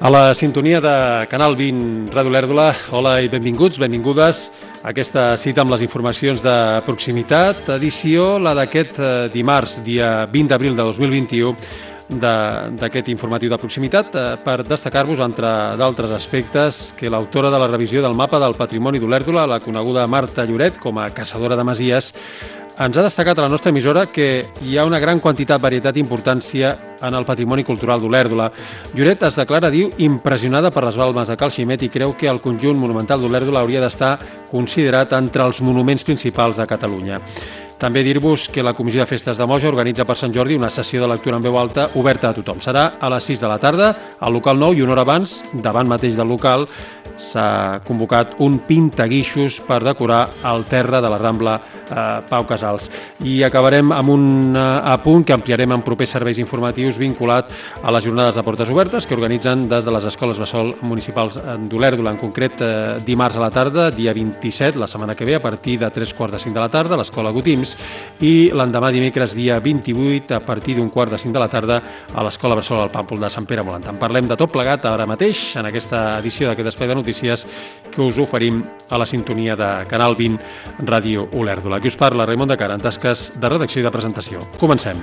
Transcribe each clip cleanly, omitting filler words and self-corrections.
A la sintonia de Canal 20 Ràdio Olèrdola, hola i benvinguts, benvingudes a aquesta cita amb les informacions de proximitat, edició la d'aquest dimarts, dia 20 d'abril de 2021, d'aquest informatiu de proximitat, per destacar-vos, entre d'altres aspectes, que l'autora de la revisió del mapa del patrimoni d'Olèrdola, la coneguda Marta Lloret, com a caçadora de masies, ens ha destacat a la nostra emissora que hi ha una gran quantitat, varietat i importància en el patrimoni cultural d'Olèrdola. Lloret es declara, diu, impressionada per les balmes de Cal Ximet i creu que el conjunt monumental d'Olèrdola hauria d'estar considerat entre els monuments principals de Catalunya. També dir-vos que la Comissió de Festes de Moja organitza per Sant Jordi una sessió de lectura en veu alta oberta a tothom. Serà a les 6 de la tarda al local 9 i una hora abans, davant mateix del local, s'ha convocat un pintaguixos per decorar el terra de la Rambla Pau Casals. I acabarem amb un apunt que ampliarem en propers serveis informatius vinculat a les jornades de portes obertes que organitzen des de les escoles bressol municipals d'Olèrdola, en concret dimarts a la tarda, dia 27, la setmana que ve, a partir de 3:45 de la tarda, a l'escola Gotims, i l'endemà dimecres, dia 28, a partir d'1:45 de la tarda, a l'escola bressol al Pàmpol de Sant Pere Molant. En parlem de tot plegat ara mateix, en aquesta edició d'aquest espai de notícies que us oferim a la sintonia de Canal 20 Ràdio Olèrdola. Aquí us parla Raimon de Cara, en tasques de redacció i de presentació. Comencem.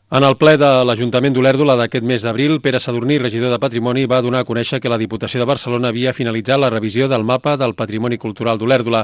En el ple de l'Ajuntament d'Olèrdola d'aquest mes d'abril, Pere Sadurní, regidor de Patrimoni, va donar a conèixer que la Diputació de Barcelona havia finalitzat la revisió del mapa del patrimoni cultural d'Olèrdola.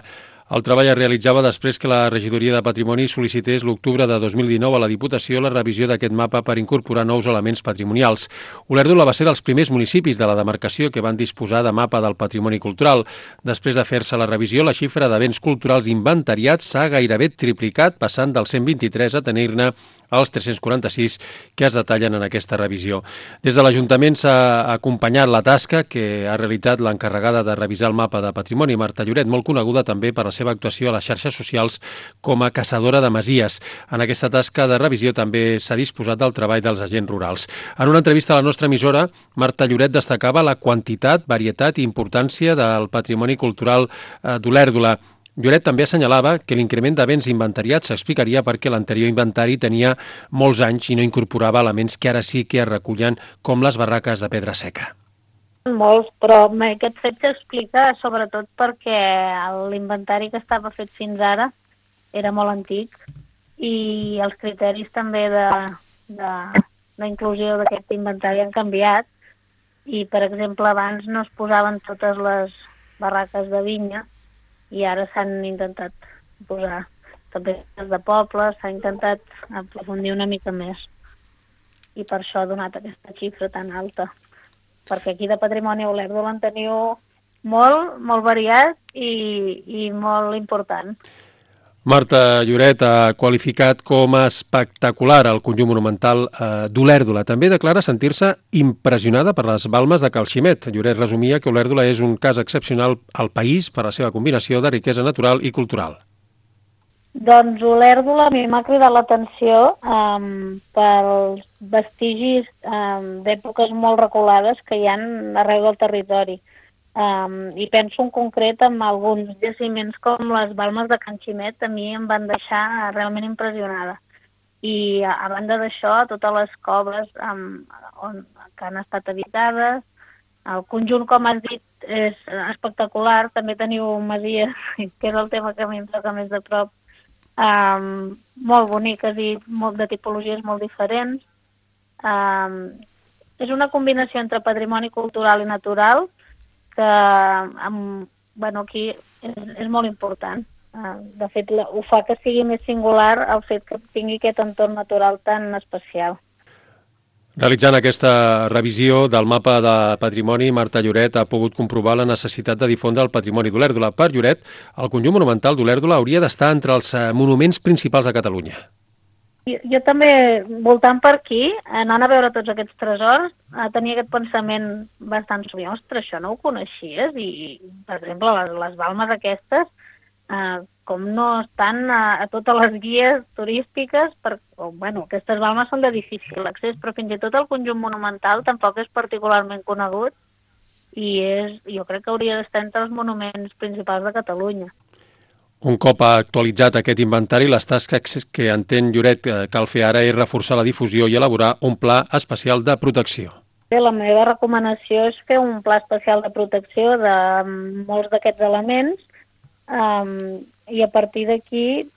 El treball es realitzava després que la Regidoria de Patrimoni sol·licités l'octubre de 2019 a la Diputació la revisió d'aquest mapa per incorporar nous elements patrimonials. Olèrdola va ser dels primers municipis de la demarcació que van disposar de mapa del patrimoni cultural. Després de fer-se la revisió, la xifra de béns culturals inventariats s'ha gairebé triplicat, passant dels 123 a tenir-ne els 346 que es detallen en aquesta revisió. Des de l'Ajuntament s'ha acompanyat la tasca que ha realitzat l'encarregada de revisar el mapa de patrimoni, Marta Lloret, molt coneguda també per la seva actuació a les xarxes socials com a caçadora de masies. En aquesta tasca de revisió també s'ha disposat del treball dels agents rurals. En una entrevista a la nostra emissora, Marta Lloret destacava la quantitat, varietat i importància del patrimoni cultural d'Olèrdola. Lloret també assenyalava que l'increment de béns inventariats s'explicaria perquè l'anterior inventari tenia molts anys i no incorporava elements que ara sí que es recullen, com les barraques de pedra seca. Molts, però aquest fet s'explica sobretot perquè l'inventari que estava fet fins ara era molt antic i els criteris també d'inclusió d'aquest inventari han canviat i, per exemple, abans no es posaven totes les barraques de vinya i ara s'han intentat posar també les de pobles, s'ha intentat aprofundir una mica més i per això ha donat aquesta xifra tan alta. Perquè aquí de patrimoni a Olèrdola en teniu molt variat i molt important. Marta Lloret ha qualificat com a espectacular el conjunt monumental d'Olèrdola. També declara sentir-se impressionada per les balmes de Cal Ximet. Lloret resumia que Olèrdola és un cas excepcional al país per la seva combinació de riquesa natural i cultural. Doncs Olèrdola a mi m'ha cridat l'atenció pels vestigis d'èpoques molt reculades que hi ha arreu del territori. I penso en concret en alguns jaciments com les balmes de Can Ximet, a mi em van deixar realment impressionada. I a banda d'això, totes les coves que han estat habitades, el conjunt, com has dit, és espectacular. També teniu masies, que és el tema que a mi em toca més de prop, molt boniques i de tipologies molt diferents. És una combinació entre patrimoni cultural i natural que aquí és molt important. De fet, ho fa que sigui més singular el fet que tingui aquest entorn natural tan especial. Realitzant aquesta revisió del mapa de patrimoni, Marta Lloret ha pogut comprovar la necessitat de difondre el patrimoni d'Olèrdola. Per Lloret, el conjunt monumental d'Olèrdola hauria d'estar entre els monuments principals de Catalunya. Jo també, voltant per aquí, anant a veure tots aquests tresors, tenia aquest pensament bastant sovint, ostres, això no ho coneixies? I, per exemple, les balmes aquestes, com no estan a totes les guies turístiques, aquestes balmes són de difícil accés, però fins i tot el conjunt monumental tampoc és particularment conegut i jo crec que hauria d'estar entre els monuments principals de Catalunya. Un cop actualitzat aquest inventari, les tasques que entén Lloret cal fer ara és reforçar la difusió i elaborar un pla especial de protecció. La meva recomanació és fer un pla especial de protecció de molts d'aquests elements i a partir d'aquí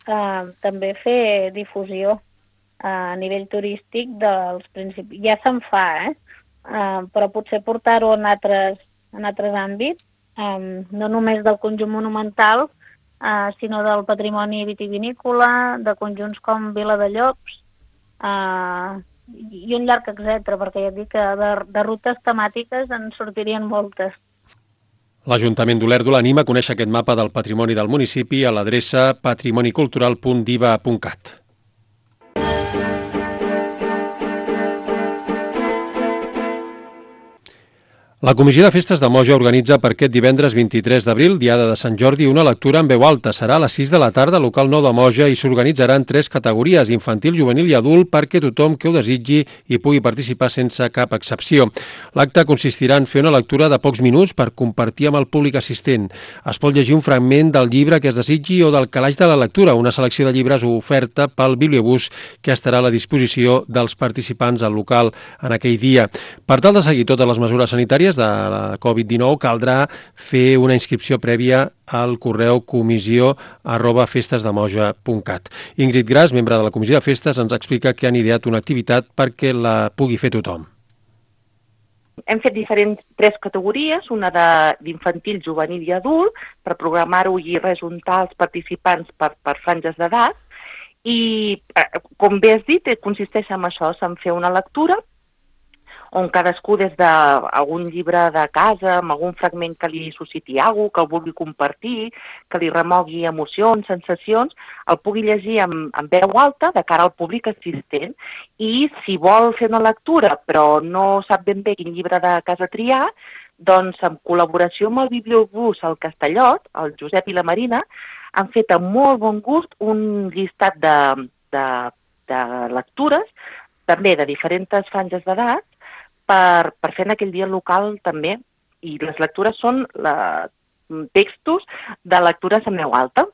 també fer difusió a nivell turístic dels principis. Ja se'n fa, però potser portar-ho en altres àmbits, no només del conjunt monumental, sinó del patrimoni vitivinícola, de conjunts com Vila de Llops, i un llarg etcètera, perquè ja et dic que de rutes temàtiques en sortirien moltes. L'Ajuntament d'Olèrdola anima a conèixer aquest mapa del patrimoni del municipi a l'adreça patrimonicultural.diva.cat. La Comissió de Festes de Moja organitza per aquest divendres 23 d'abril, diada de Sant Jordi, una lectura en veu alta. Serà a les 6 de la tarda al local 9 de Moja i s'organitzaran 3 categories, infantil, juvenil i adult, perquè tothom que ho desitgi hi pugui participar sense cap excepció. L'acte consistirà en fer una lectura de pocs minuts per compartir amb el públic assistent. Es pot llegir un fragment del llibre que es desitgi o del calaix de la lectura, una selecció de llibres oferta pel bibliobús que estarà a la disposició dels participants al local en aquell dia. Per tal de seguir totes les mesures sanitàries de la Covid-19 caldrà fer una inscripció prèvia al correu comissió@festesdemoja.cat. Ingrid Gras, membre de la Comissió de Festes, ens explica que han ideat una activitat perquè la pugui fer tothom. Hem fet tres categories, una d'infantil, juvenil i adult, per programar-ho i rejuntar els participants per franges d'edat. I, com bé has dit, consisteix en això, en fer una lectura on cadascú des d'algun llibre de casa, amb algun fragment que li susciti alguna cosa, que el vulgui compartir, que li remogui emocions, sensacions, el pugui llegir en veu alta de cara al públic assistent. I si vol fer una lectura però no sap ben bé quin llibre de casa triar, doncs en col·laboració amb el bibliobús al Castellot, el Josep i la Marina, han fet amb molt bon gust un llistat de lectures, també de diferents franges d'edat, per fer en aquell dia local també. I les lectures són textos de lectures en veu alta.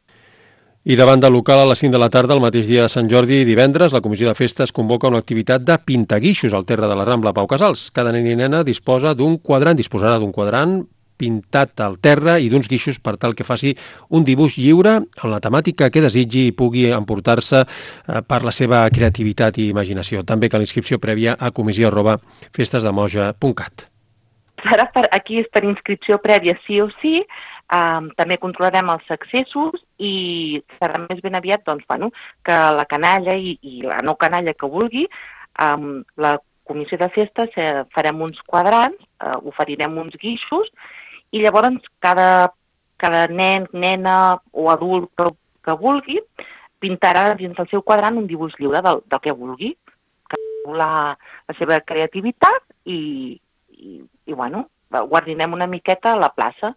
I davant del local a les 5 de la tarda, el mateix dia de Sant Jordi i divendres, la Comissió de Festes convoca una activitat de pintaguixos al terra de la Rambla Pau Casals. Cada nen i nena disposarà d'un quadrant pintat al terra i d'uns guixos per tal que faci un dibuix lliure en la temàtica que desitgi i pugui emportar-se per la seva creativitat i imaginació. També cal inscripció prèvia a comissió@festesdemoja.cat. Aquí és per inscripció prèvia sí o sí. També controlarem els accessos i serà més ben aviat que la canalla i la no canalla que vulgui. La Comissió de Festes farem uns quadrants, oferirem uns guixos i llavors cada nen, nena o adult que vulgui pintarà dins del seu quadrant un dibuix lliure del que vulgui, que la seva creativitat i guardinem una miqueta a la plaça.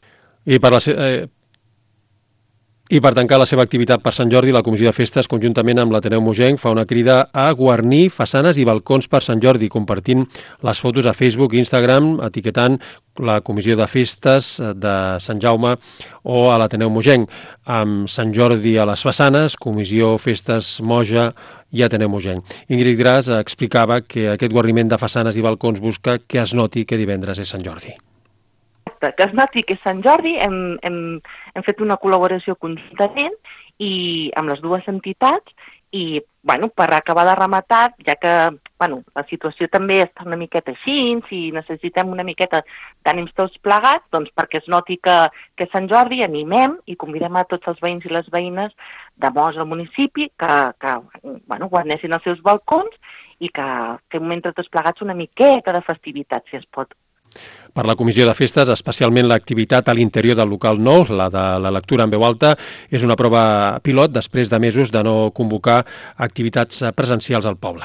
I per tancar la seva activitat per Sant Jordi, la Comissió de Festes, conjuntament amb l'Ateneu Mogenc, fa una crida a guarnir façanes i balcons per Sant Jordi, compartint les fotos a Facebook i Instagram, etiquetant la Comissió de Festes de Sant Jaume o a l'Ateneu Mogenc. Amb Sant Jordi a les façanes, Comissió Festes Moja i Ateneu Mogenc. Ingrid Gras explicava que aquest guarniment de façanes i balcons busca que es noti que divendres és Sant Jordi. Que es noti que és Sant Jordi, hem fet una col·laboració conjuntament i amb les dues entitats i, per acabar de rematar, ja que la situació també està una miqueta així, si necessitem una miqueta d'ànims tots plegats, doncs perquè es noti que és Sant Jordi, animem i convidem a tots els veïns i les veïnes de Moja al municipi que guarnessin els seus balcons i que fem entre tots plegats una miqueta de festivitat, si es pot. Per la Comissió de Festes, especialment l'activitat a l'interior del local nou, la de la lectura en veu alta, és una prova pilot després de mesos de no convocar activitats presencials al poble.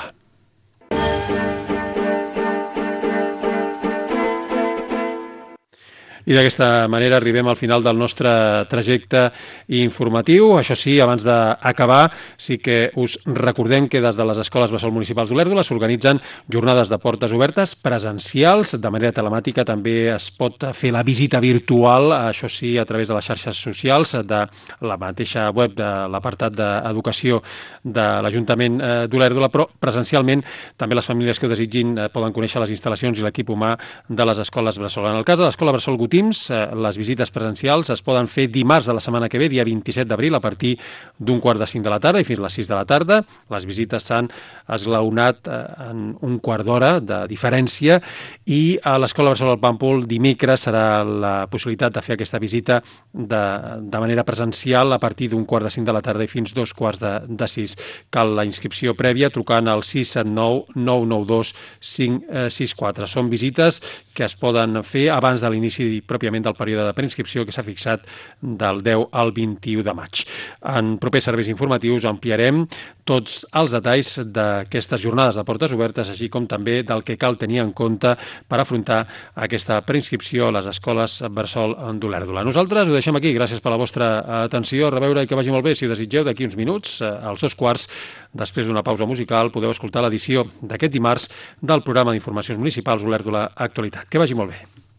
I d'aquesta manera arribem al final del nostre trajecte informatiu. Això sí, abans d'acabar, sí que us recordem que des de les escoles bressol municipals d'Olèrdola s'organitzen jornades de portes obertes presencials, de manera telemàtica. També es pot fer la visita virtual, això sí, a través de les xarxes socials, de la mateixa web de l'apartat d'educació de l'Ajuntament d'Olèrdola, però presencialment també les famílies que ho desitgin poden conèixer les instal·lacions i l'equip humà de les escoles bressol. En el cas de l'escola bressol Gotims, les visites presencials es poden fer dimarts de la setmana que ve, dia 27 d'abril, a partir d'1:45 de la tarda i fins a les 6 de la tarda. Les visites s'han esglaonat en un quart d'hora de diferència i a l'escola bressol del Pàmpol dimecres serà la possibilitat de fer aquesta visita de manera presencial a partir d'1:45 de la tarda i fins 2:45. Cal la inscripció prèvia trucant al 679 992 564. Són visites que es poden fer abans de l'inici pròpiament del període de preinscripció que s'ha fixat del 10 al 21 de maig. En propers serveis informatius ampliarem tots els detalls d'aquestes jornades de portes obertes, així com també del que cal tenir en compte per afrontar aquesta preinscripció a les escoles bressol d'Olèrdola. Nosaltres ho deixem aquí. Gràcies per la vostra atenció. A reveure i que vagi molt bé. Si ho desitgeu, d'aquí uns minuts, als 2:15, després d'una pausa musical, podeu escoltar l'edició d'aquest dimarts del programa d'informacions municipals Olèrdola Actualitat. Que vagi molt bé.